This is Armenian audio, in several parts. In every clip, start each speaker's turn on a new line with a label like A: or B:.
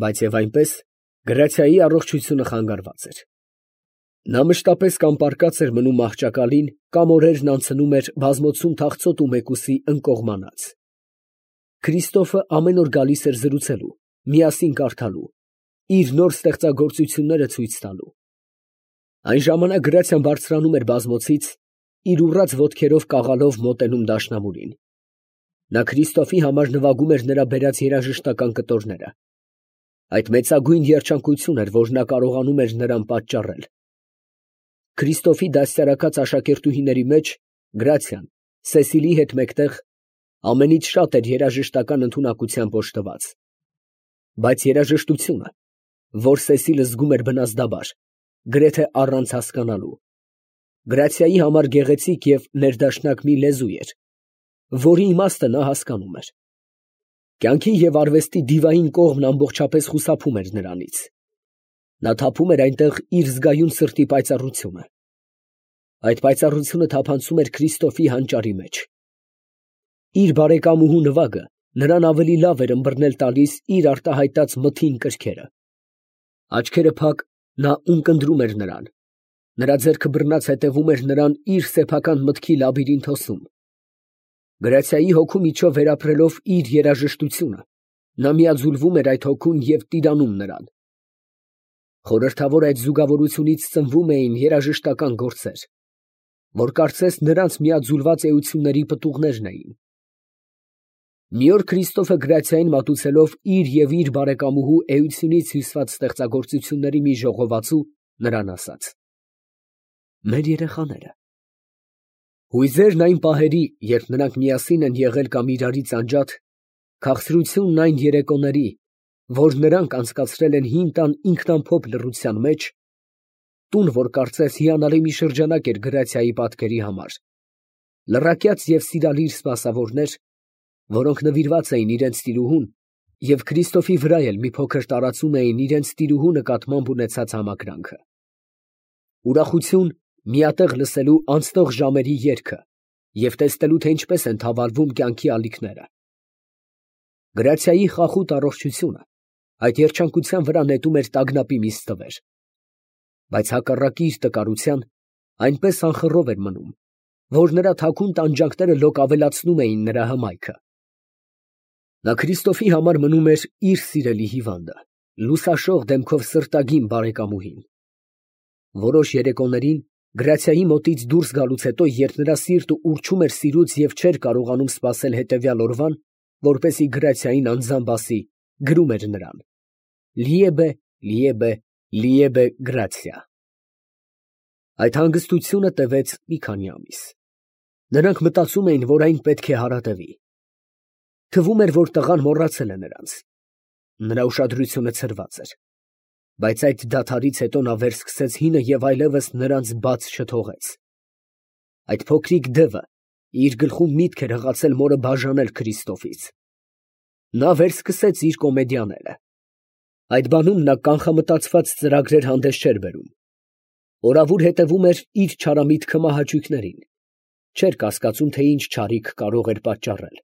A: բայց և այնպես գրացիայի առողջությունը խանգարված էր։ Նա մշտապես կամ պառկած էր մնում մահճակալին, կամ օրերն անցնում էր բազմոցում թախծոտ ու մեկուսի ընկողմանած։ Քրիստոֆը ամեն օր գալիս էր զրուցելու, միասին կարդալու, իր նոր ստեղծագործությունները ցույց տալու։ Այն ժամանակ գրացիան բարձրանում էր բազմոցից, իր ուռած ոտքերով կաղալով մոտենում դաշնամուրին։ Նա Քրիստոֆի համար նվագում էր նրա բերած երաժշտական կտորները։ Այդ մեծագույն երջանկություն էր, որ նա կարողանում էր նրան պատճառել։ Քրիստոֆի դաստիարակած աշակերտուհիների մեջ Գրացիան Սեսիլի հետ մեկտեղ ամենից շատ էր երաժշտական ընդունակությամբ օժտված։ Բայց երաժշտությունը, որ Սեսիլը զգում էր բնազդաբար, գրեթե առանց հասկանալու, Գրացիայի համար գեղեցիկ և ներդաշնակ մի լեզու էր, որի իմաստը նա հասկանում էր։ Կյանքի և արվեստի դիվային կողմն ամբողջապես խուսափում էր նրանից։ Նա թափում էր այնտեղ իր զգայուն սրտի պայծառությունը։ Այդ պայծառությունը թափանցում էր Քրիստոֆի հանճարի մեջ։ Իր բարեկամուհու նվագը նրան ավելի լավ էր ըմբռնել տալիս իր արտահայտած մթին կրքերը։ Աչքերը փակ, նա ունկնդրում էր նրան։ Նրա ձեռքը բռնած հետևում էր նրան իր սեփական մտքի լաբիրինթոսում։ Գրացիայի հոգու միջով վերապրելով իր երաժշտությունը, նա միաձուլվում էր այդ հոգուն և տիրանում նրան։ Խորհրդավոր այդ զուգավորությունից ծնվում էին երաժշտական գործեր, որ կարծես նրանց միաձուլված էությունների պտուղներն էին։ Մի օր Քրիստոֆը Գրացիային մատուցելով իր և իր բարեկամուհու էությունից հյուսված ստեղծագործությունների մի ժողովածու, նրան ասաց. «Մեր երեխաները»։ Հույզերն այն պահերի, երբ նրանք միասին են եղել կամ իրարից անջատ, քաղցրությունն այն երեկոների, որ նրանք անցկացրել են հին տան ինքնամփոփ լռության մեջ, տուն, որ կարծես հիանալի մի շրջանակ էր Գրացիայի պատկերի համար, լռակյաց և սիրալիր սպասավորներ, որոնք նվիրված էին իրենց տիրուհուն և Քրիստոֆի վրա էլ մի փոքր տարածում էին իրենց տիրուհու նկատմամբ ունեցած համակրանքը։ Ուրախություն միատեղ լսելու անցնող ժամերի երգը և տեսնելու, թե ինչպես են թավալվում կյանքի ալիքները։ Գրացիայի խախուտ առողջությունը այդ երջանկության վրա նետում էր տագնապի մի ստվեր, բայց հակառակի իր տկարության այնպես անխռով էր մնում, որ նրա թաքուն տանջանքները լոկ ավելացնում էին նրա հմայքը։ Նա Քրիստոֆի համար մնում էր իր սիրելի հիվանդը, լուսաշող դեմքով սրտագին բարեկամուհին։ Որոշ երեկոներին Գրացիայի մոտից դուրս գալուց հետո, երբ նրա սիրտը ուռչում էր սիրուց և չէր կարողանում սպասել հետևյալ օրվան, որպեսզի Գրացիային անձամբ ասի, գրում էր նրան. «Liebe, liebe, liebe Grazia»։ Այդ հանգստությունը տևեց մի քանի ամիս։ Նրանք մտածում էին, որ այն պետք է հարատևի։ Թվում էր, որ տղան մոռացել է նրանց։ Նրա ուշադրությունը ցրված էր։ Բայց այդ դադարից հետո նա վերսկսեց հինը և այլևս նրանց բաց չթողեց։ Այդ փոքրիկ դևը իր գլխում միտք էր հղացել մորը բաժանել Քրիստոֆից։ Նա վերսկսեց իր կոմեդիաները։ Այդ բանում նա կանխամտածված ծրագրեր հանդես չէր բերում։ Օրավուր հետևում էր իր չարամիտ քմահաճույքներին։ Չէր կասկածում, թե ինչ չարիք կարող էր պատճառել։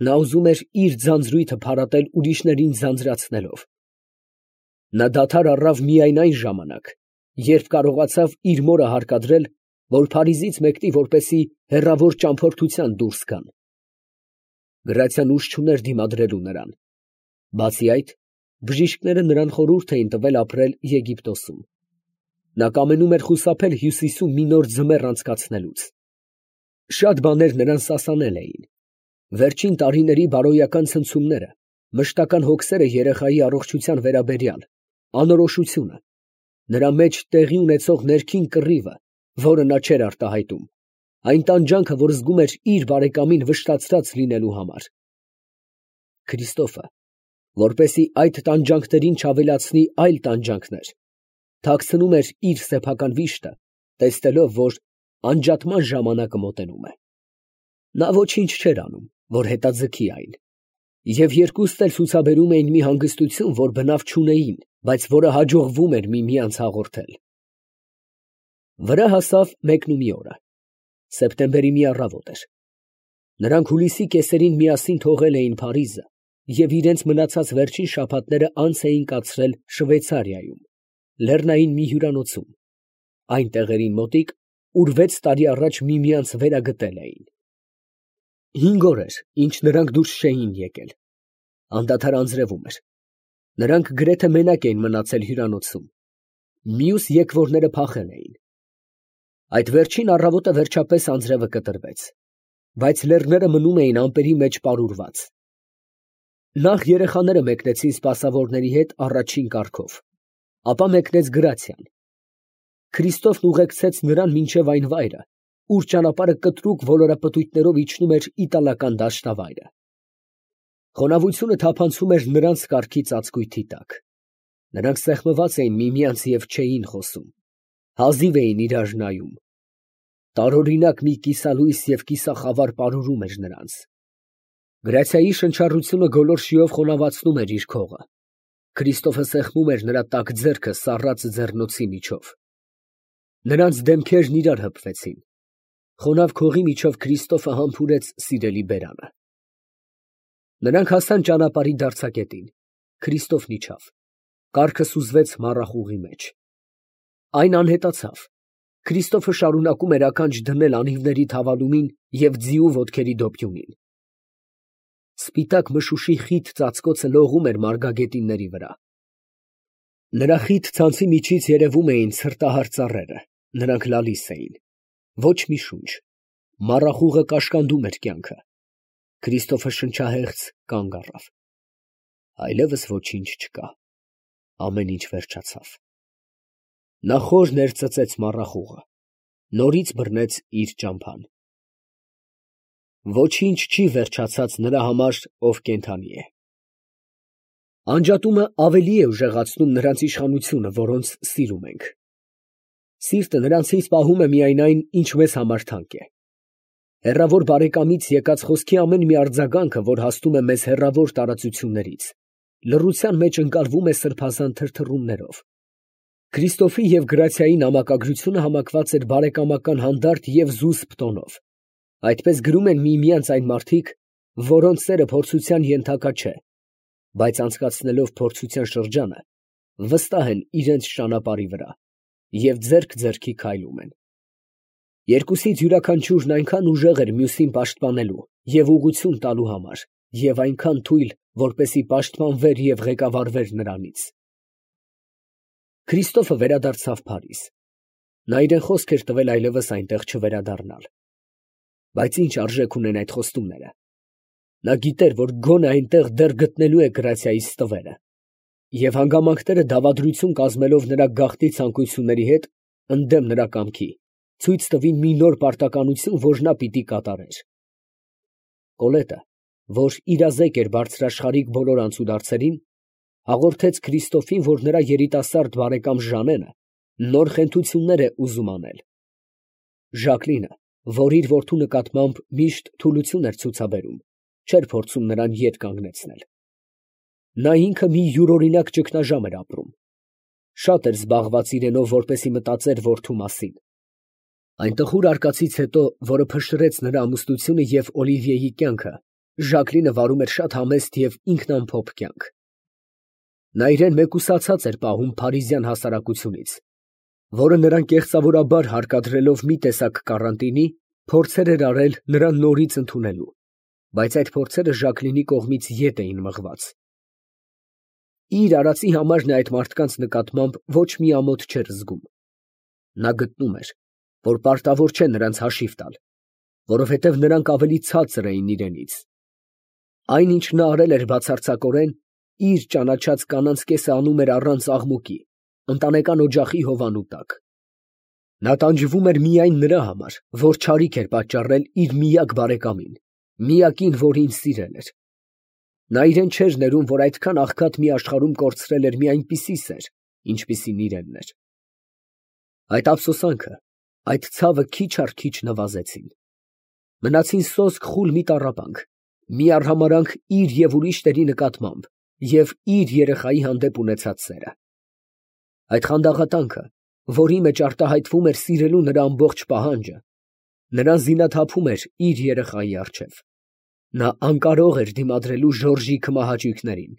A: Նա ուզում էր իր ձանձրույթը փարատել ուրիշներին ձանձրացնելով։ Նա դադար առավ միայն այն ժամանակ, երբ կարողացավ իր մորը հարկադրել, որ Փարիզից մեկնի, որպեսզի հեռավոր ճամփորդության դուրս գան։ Գրացիան ուժ չուներ դիմադրելու նրան։ Բացի այդ, բժիշկները նրան խորհուրդ էին տվել ապրել Եգիպտոսում։ Նա կամենում էր խուսափել Հյուսիսում մի նոր ձմեռ անցկացնելուց։ Շատ բաներ նրան սասանել էին։ Վերջին տարիների բարոյական ցնցումները, մշտական հոգսերը երեխայի առողջության վերաբերյալ, անորոշությունը, նրա մեջ տեղի ունեցող ներքին կռիվը, որը նա չէր արտահայտում, այն տանջանքը, որ զգում էր իր բարեկամին վշտացրած լինելու համար։ Քրիստոֆը, որպեսզի այդ տանջանքներին չավելացնի այլ տանջանքներ, թաքցնում էր իր սեփական վիշտը, տեսնելով, որ անջատման ժամանակը մոտենում է։ Նա ոչինչ չէր անում, որ հետաձգի այն, և երկուստ էլ ցուցաբերում էին մի հանգստություն, որ բնավ չունեին, բայց որը հաջողվում էր միմյանց հաղորդել։ Վրա հասավ մեկնումի օրը։ Սեպտեմբերի մի առավոտ էր։ Նրանք հուլիսի կեսերին միասին թողել էին Փարիզը և իրենց մնացած վերջին շաբաթները անց էին կացրել Շվեյցարիայում, լեռնային մի հյուրանոցում, այն տեղերին մոտիկ, ուր 6 տարի առաջ միմյանց վերագտել էին։ 5 օր էր, ինչ նրանք դուրս չէին եկել, անդադար անձրևում էր, նրանք գրեթե մենակ էին մնացել հյուրանոցում, մյուս եկվորները փախել էին։ Այդ վերջին առավոտը վերջապես անձրևը կտրվեց, բայց լեռները մնում էին ամպերի մեջ պարուրված։ Նախ երեխաները մեկնեցին սպասավորների հետ առաջին կարգով, ապա մեկնեց Գրացիան։ Քրիստոֆն ուղեկցեց նրան մինչև այն վայրը, ուր ճանապարհը կտրուկ ոլորապտույտներով իջնում էր իտալական դաշտավայրը։ Խոնավությունը թափանցում էր նրանց կառքի ծածկույթի տակ։ Նրանք սեղմված էին միմյանց և չէին խոսում, հազիվ էին իրար նայում։ Տարօրինակ մի կիսալույս և կիսախավար պարուրում էր նրանց։ Գրացիայի շնչառությունը գոլորշիով խոնավացնում էր իր քողը։ Քրիստոֆը սեղմում էր նրա տաք ձեռքը սառած ձեռնոցի միջով։ Նրանց դեմքերն իրար հպվեցին։ Խոնավ քողի միջով Քրիստոֆը համբուրեց սիրելի բերանը։ Նրանք հասան ճանապարհի դարձակետին։ Քրիստոֆն իջավ։ Կառքը սուզվեց մառախուղի մեջ։ Այն անհետացավ։ Քրիստոֆը շարունակում էր ականջ դնել անիվների թավալումին և ձիու ոտքերի դոփյունին։ Սպիտակ մշուշի խիտ ծածկոցը լողում էր մարգագետինների վրա։ Նրա խիտ ցանցի միջից երևում էին ցրտահար ծառերը, նրանք լալիս էին։ Ոչ մի շունչ։ Մառախուղը կաշկանդում էր կյանքը։ Քրիստոֆը շնչահեղձ կանգ առավ։ Այլևս ոչինչ չկա։ Ամեն ինչ վերջացավ։ Նա խոր ներծծեց մառախուղը, նորից բռնեց իր ճամփան։ Ոչինչ չի վերջացած նրա համար, ով կենդանի է։ Անջատումը ավելի է ուժեղացնում նրանց իշխանությունը, որոնց սիրում ենք։ Սիրտը նրանցից պահում է միայն այն, ինչ մեզ համար թանկ է։ Հեռավոր բարեկամից եկած խոսքի ամեն մի արձագանքը, որ հասնում է մեզ հեռավոր տարածություններից, լռության մեջ ընկալվում է սրբազան թրթռումներով։ Քրիստոֆի և Գրացիայի նամակագրությունը համակված էր բարեկամական հանդարտ և զուսպ տոնով։ Այդպես գրում են միմյանց այն մարդիկ, որոնց սերը փորձության ենթակա չէ, բայց անցկացնելով փորձության շրջանը, վստահ են իրենց ճանապարհի վրա և ձեռք ձեռքի քայլում են։ Երկուսից յուրաքանչյուրն այնքան ուժեղ էր մյուսին պաշտպանելու և ուղղություն տալու համար, և այնքան թույլ, որպեսզի պաշտպանվեր և ղեկավարվեր նրանից։ Քրիստոֆը վերադարձավ Փարիզ։ Նա իրեն խոսք էր տվել այլևս այնտեղ չվերադառնալ։ Բայց ինչ արժեք ունեն այդ խոստումները։ Նա գիտեր, որ գոնե այնտեղ դեռ գտնելու է Գրացիայի ստվերը, և հանգամանքները դավադրություն կազմելով նրա գաղտնի ցանկությունների հետ, ընդդեմ նրա կամքի, ցույց տվին մի նոր պարտականություն, որ նա պիտի կատարեր։ Կոլետը, որ իրազեկ էր բարձրաշխարհիկ բոլոր անցուդարձերին, հաղորդեց Քրիստոֆին, որ նրա երիտասարդ բարեկամ Ժանենը նոր խենթություններ է ուզում անել։ Ժակլինը, որ իր որդու նկատմամբ միշտ թուլություն էր ցուցաբերում, չէր փորձում նրան ետ կանգնեցնել։ Նա ինքը մի յուրօրինակ ճգնաժամ էր ապրում։ Շատ էր զբաղված իրենով, որպեսզի մտածեր որդու մասին։ Այն տխուր արկածից հետո, որը փշրեց նրա ամուսնությունը և Օլիվիեի կյանքը, Ժակլինը վարում էր շատ համեստ և ինքնամփոփ կյանք։ Նա իրեն մեկուսացած էր պահում փարիզյան հասարակությունից, որը նրան կեղծավորաբար հարկադրելով մի տեսակ կարանտինի, փորձեր էր արել նրան նորից ընդունելու, բայց այդ փորձերը Ժակլինի կողմից ետ էին մղված։ Իր արածի համար նա այդ մարդկանց նկատմամբ ոչ մի ամոթ չէր զգում։ Նա գտնում էր, որ պարտավոր չէ նրանց հաշիվ տալ, որովհետև նրանք ավելի ցածր էին իրենից։ Այն, ինչ նա արել էր բացարձակորեն, իր ճանաչած կանանց կեսը անում էր առանց աղմուկի, ընտանեկան օջախի հովանու տակ։ Նա տանջվում էր միայն նրա համար, որ չարիք էր պատճառել իր միակ բարեկամին, միակին, որին սիրել էր։ Նա իրեն չէր ներում, որ այդքան աղքատ մի աշխարհում կորցրել էր մի այնպիսի սեր, ինչպիսին իրենն էր։ Այդ ափսոսանքը, այդ ցավը քիչ առ քիչ նվազեցին։ Մնացին սոսկ խուլ մի տառապանք, մի արհամարհանք իր և ուրիշների նկատմամբ և իր երեխայի հանդեպ ունեցած սերը։ Այդ խանդաղատանքը, որի մեջ արտահայտվում էր սիրելու նրա ամբողջ պահանջը, նրան զինաթափում էր իր երեխայի առջև։ Նա անկարող էր դիմադրելու Ժորժի քմահաճույքներին։